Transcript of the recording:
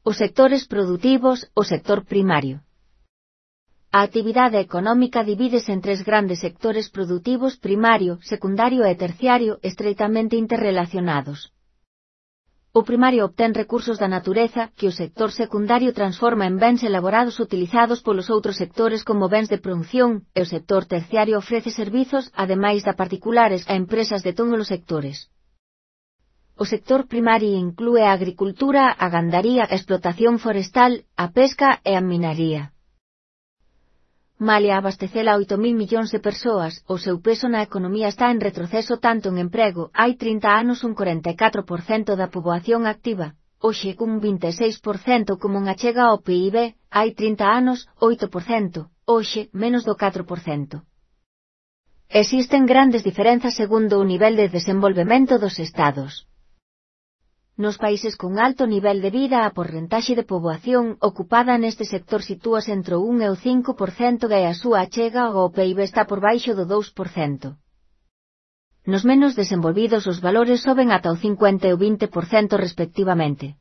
Os sectores produtivos, o sector primario. A actividade económica divídese en tres grandes sectores produtivos: primario, secundario e terciario, estreitamente interrelacionados. O primario obtén recursos da natureza que o sector secundario transforma en bens elaborados utilizados polos outros sectores como bens de produción, e o sector terciario ofrece servizos, ademais da particulares, a empresas de todos os sectores. O sector primario inclúe a agricultura, a gandaría, a explotación forestal, a pesca e a minaría. Malia abastecela a 8.000 millóns de persoas, o seu peso na economía está en retroceso tanto en emprego. Hai 30 anos un 44% da poboación activa, hoxe cun 26% como en achega ao PIB, hai 30 anos, 8%, hoxe, menos do 4%. Existen grandes diferenzas segundo o nivel de desenvolvemento dos estados. Nos países con alto nivel de vida a porcentaxe de poboación ocupada neste sector sitúase entre o 1 e o 5% e a súa achega ao PIB está por baixo do 2%. Nos menos desenvolvidos os valores soben ata o 50 e o 20% respectivamente.